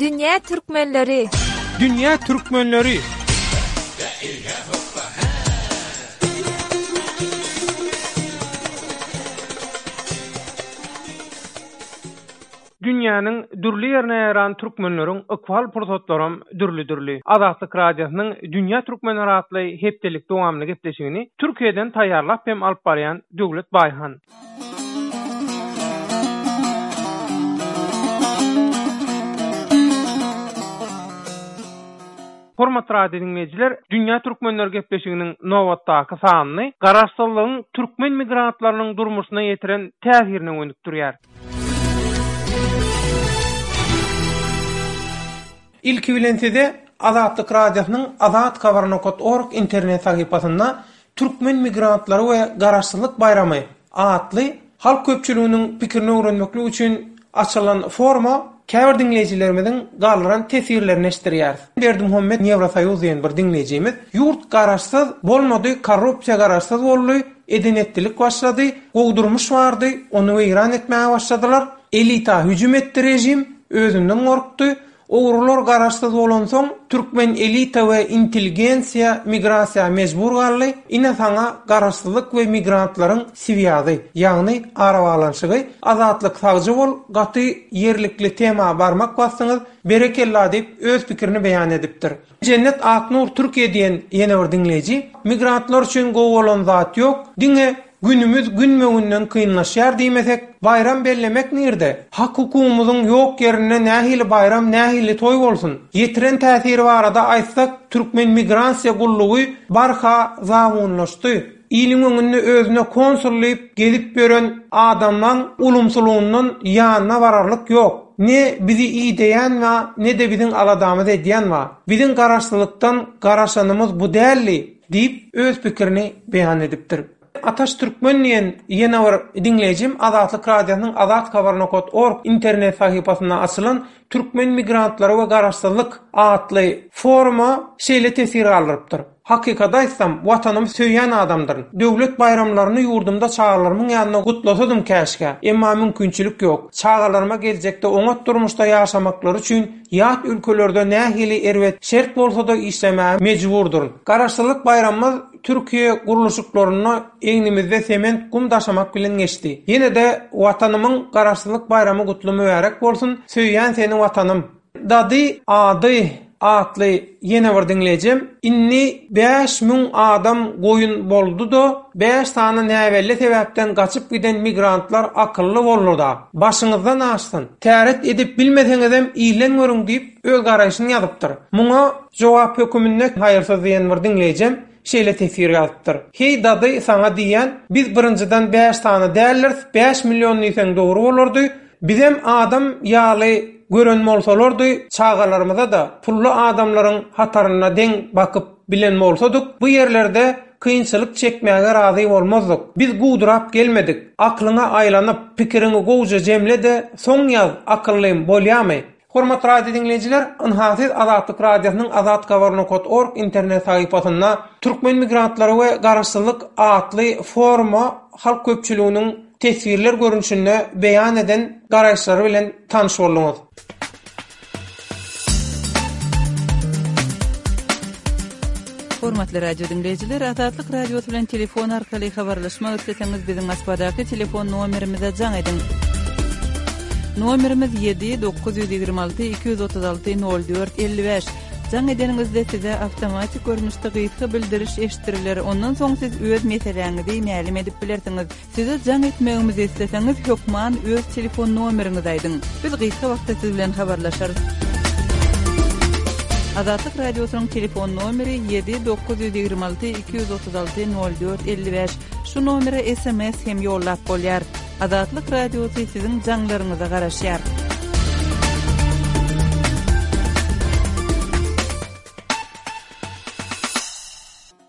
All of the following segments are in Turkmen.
Dünýä türkmenleri! Dünýä türkmenleri! Dünýäniň dürli ýerine ýaýran türkmenleriň ykbal pursatlaram dürli-dürli. Azatlyk Radiosynyň Dünýä türkmenleri atly hepdelik dowamly gepleşigini Türkiýeden taýýarlap hem alyp barýan Döwlet Baýhan. Hormatly radio diňleýjiler, Dünýä türkmenleri gepleşiginiň nobatdaky sanyny Garaşsyzlygyň türkmen migrantlarynyň durmuşyna ýetiren täsirine gönükdirýär. Ilki bilen size Azatlyk Radiosynyň Azat Habar nokat org internet sahypasynda Türkmen migrantlary we Garaşsyzlyk baýramy atly halk köpçüliginiň pikirini öwrenmeklik üçin açylan foruma käbir diňleýjilerimiziň galdyran teswirlerini eşitdirýäris. Berdimuhammet Ýewrosoýuz diýen bir diňleýjimiz Ýurt garaşsyz bolmady, korrupsiýa garaşsyz boldy, eden-etdilik başlady, gowy durmuş bardy, ony weýran etmäge başladylar, elita hüjüm etdi režim, özünden gorkdy, Ogrular garaşsyz bolansoň türkmen elita we intelligensiýa migrasiýa mejbur galdy, ine saňa garaşsyzlyk we migrantlaryň swýazy, ýagny arabaglanyşygy, Azatlyk sagja bol gaty ýerlikli tema barmak basdyňyz, berekella diýip öz pikirini beýan edipdir. Jennet Aknur Türkiýe diýen ýene bir diňleýji, Migrantlar üçin gowy bolan zat ýok, diňe günümiz günbe-günden kynlaşýar diýmesek, baýram bellemek nirde? Hak-hukugymyzyň ýok ýerinde nähili baýram, nähili toý bolsun? Ýetiren täsiri barada aýtsak, türkmen migrasiýa gullugy barha zabunlaşdy. Iliň öňünde özüne konsul diýip gezip ýören adamlaň ulumsylygyndan ýanyna bararlyk ýok. Ne bizi ideýän ba, ne-de biziň aladamyzy edýän ba. Biziň garaşsyzlykdan garaşanymyz bu däldi diýip, öz pikirini beýan edipdir. Ataş Türkmen diýen ýene bir diňleýjim Azatlyk Radiosynyň Azathabar nokat org internet sahypasynda açylan Türkmen migrantlary we garaşsyzlyk atly foruma şeýle teswir galdyrypdyr. Hakykaty aýtsam, Watanymy söýýän adamdyryn. Döwlet baýramlaryny ýurdumda çagalarymyň ýanynda gutlasadym käşgä. Emma mümkinçilik ýok. Çagalaryma geljekde oňat durmuşda ýaşamaklary üçin ýat ülkelerde nähili erbet şert bolsa-da işlemäge mejburdyryn. Garaşsyzlyk baýramymyz Türkiýe gurluşyklarynda egnimizde sement gum daşamak bilen geçdi. Ýene-de Watanymyň Garaşsyzlyk baýramy gutly mübärek bolsun, söýýän seni Watanym! Dady ady atly ýene bir diňleýjim, Indi 5000 adam goýun boldy-da, bäş sany näbelli sebäpden gaçyp giden migrantlar akylly boldy-da. Başyňyzdan aşsyn. Täret edip bilmeseňizem ilden görüň diýip, öz garaýşyny ýazypdyr. Muňa jogap höküminde Haýyrsyz diýen bir diňleýjem şeýle teswir ýazypdyr, Heý dady saňa diýýän, biz birinjiden bäş sany däldiris, bäş million diýseň dogry bolardy, Bizem adam ýaly gören bolsalardy, çagalarymyza-da pully adamlaryň hatarynda deň bakyp bilen bolsadyk, bu ýerlerde kynçylyk çekmäge razy bolmazdyk. Biz guwdurap gelmedik. Aklyňa aýlanyp, pikiriňi gowja jemle-de, soň ýaz, akyllym, bolýamy? Hormatly radio diňleýjiler, ynha siz Azatlyk Radiosynyň Azathabar nokat org internet sahypasynda Türkmen migrantlary we garaşsyzlyk atly foruma halk köpçüliginiň teswirler görnüşinde beýan eden garaýyşlary bilen tanyş bolduňyz. Hormatly radio diňleýjiler, Azatlyk Radiosy bilen telefon arkaly habarlaşmak isleseňiz biziň Moskwadaky telefon nomerimize jaň ediň. Nomerimiz 7 926 236 04 55. Jaň edeniňizde size awtomatik görnüşde gysga bildiriş eşitdiriler, ondan soň siz öz meseläňizi mälim edip bilersiňiz. Size jaň etmegimizi isleseňiz, hökman öz telefon nomeriňizi aýdyň. Biz gysga wagtda siz bilen habarlaşarys. Azatlyk Radiosynyň telefon nomeri 7 926 236 04 55. Şu nomere sms hem ýollap bolýar. Azatlyk Radiosy siziň jaňlaryňyza garaşýar.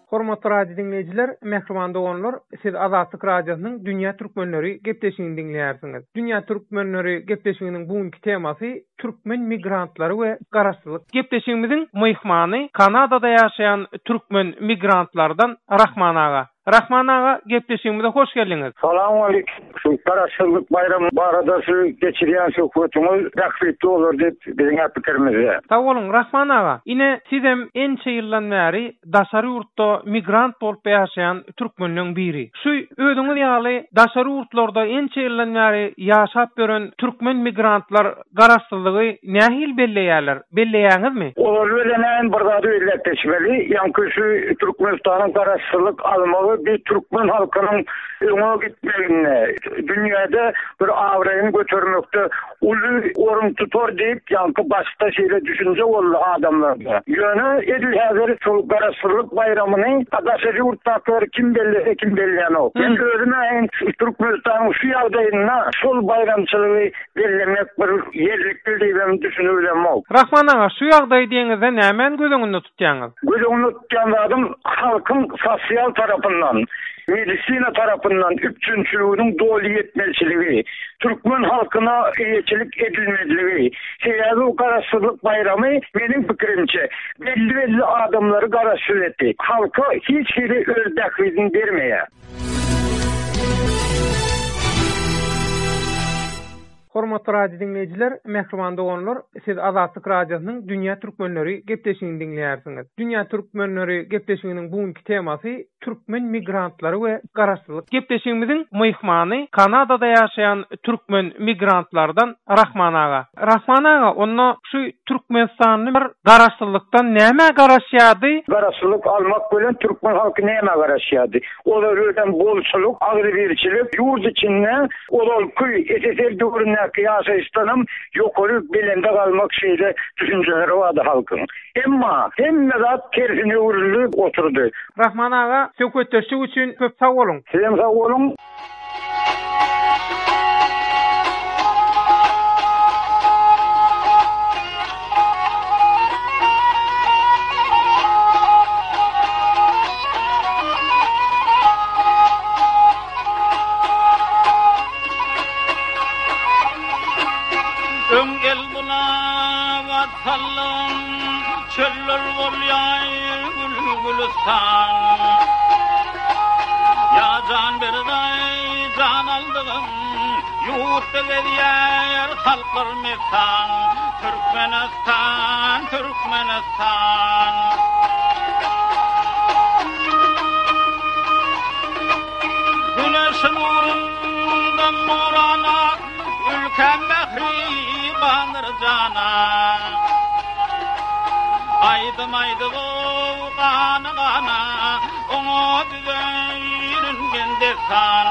Hormatly radio diňleýjiler, mähriban doganlar, siz Azatlyk Radiosynyň Dünýä Türkmenleri gepleşigini diňleýärsiňiz. Dünýä Türkmenleri gepleşiginiň bu günki temasy Türkmen migrantlary we garaşsyzlyk. Gepleşigimiziň myhmany Kanadada ýaşaýan türkmen migrantlardan Rahman aga. Rahman aga, gepleşigimize hoş geldiňiz. Salowmaleýkim. Şu Garaşsyzlyk baýramy barada şu geçirýän söhbetiňiz bähbitli bolar diýip biziň-ä pikirimizde. Sag boluň, Rahman aga. Ine, sizem ençe ýyldan bäri daşary ýurtda migrant bolup ýaşaýan türkmenleň biri. Şu özüňiz ýaly daşary ýurtlarda ençe ýyldan bäri ýaşap ýören türkmen migrantlar garaşsyzlygy nähili belleýärler? Belleýäňizmi? Ozaly bilen bir zady belläp geçmeli, ýaňky şu Türkmenistanyň garaşsyzlyk almagy bir türkmen halkynyň öňe gitmeginde, dünýäde bir abraýyny götermekde uly orun tutar diýip, ýaňky başda şeýle düşünje boldy adamlarda. Ýöne edil häzir şol Garaşsyzlyk baýramyny daşary ýurtdakylar kim bellese, kim bellänok. Men özüm-ä Türkmenistanyň şu ýagdaýynda şol baýramçylygy bellemek bir ýerlikli diýibem düşünibilemok. Rahman aga, şu ýagdaýy diýeňizde nämäni göz öňünde tutýaňyz? Göz öňünde tutýan zadym halkyň sosial tarapyndan, medisina tarapyndan üpjünçiliginiň doly ýetmezçiligi, türkmen halkyna eýeçilik edilmezligi. Sebäbi bu Garaşsyzlyk baýramy meniň pikirimçe belli-belli adamlary garaşsyz etdi. Halka hiç hili öz bähbidini bermeýär. Hormatly radio diňleýjiler, mähriban doganlar, siz Azatlyk Radiosynyň Dünýä Türkmenleri gepleşigini diňleýärsiňiz. Dünýä Türkmenleri gepleşiginiň bu günki temasy türkmen migrantlary we garaşsyzlyk. Gepleşigimiziň myhmany Kanadada ýaşaýan türkmen migrantlardan Rahman aga. Rahman aga, onda şu türkmenistanlylar garaşsyzlykdan nämä garaşýardy? Garaşsyzlyk almak bilen türkmen halky nämä garaşýardy? Olar özem bolçulyk, agzybirçilik, ýurt içinde ozalky SSR döwründäki ýaşaýyşdanam ýokary belende galmak şeýle düşünjeleri bardy halkyň. Emma hemme zat tersine öwrüldi oturdy. Rahman aga söhbetdeşlik üçin köp sag boluň. Sizem sag boluň. Öň el bulap sallan, Çöller bolýar gül-gülüstan. Ýa jan berdaý, jan aldygym, Ýurtda gezýär halklar messan. Türkmenistan, Türkmenistan. Güneş nurundan nurana, Ülkäm mähribandyr jana. Aýdym aýdyp-ow gana-gana, Oňa düzerin men dessan.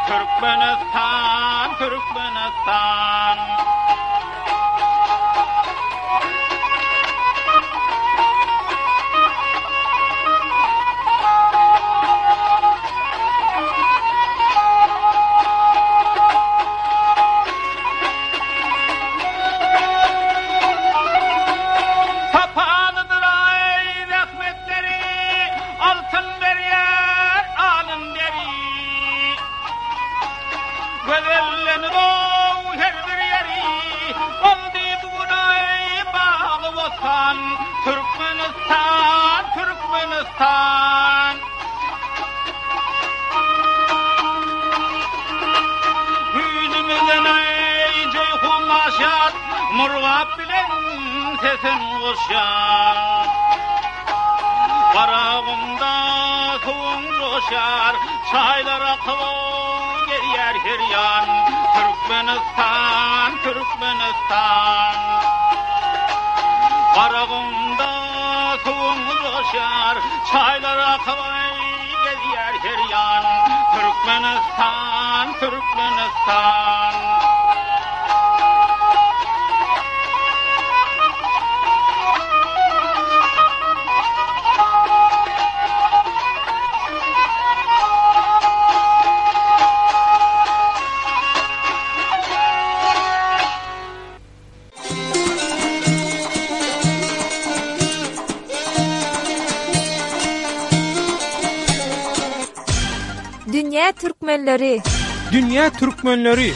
Türkmenistan, Türkmenistan. Sapalydyr-aý zähmetleri, Altyn berýär alyn deri. Gözellenib-ow her bir ýeri, Boldy bu gün-aý bagy-bossan, Türkmenistan, Türkmenistan. Güýjümizden-aý Jeýhun aşýar, Murgap bilen sesin goşýar. Garagumda suwuň joşýar, Çaýlar akyp gelýär her ýan. Türkmenistan, Türkmenistan. Garagumda suwuň joşýar, Çaýlar akyp gelýär her ýan. Türkmenistan, Türkmenistan. Dünýä türkmenleri. Dünýä türkmenleri.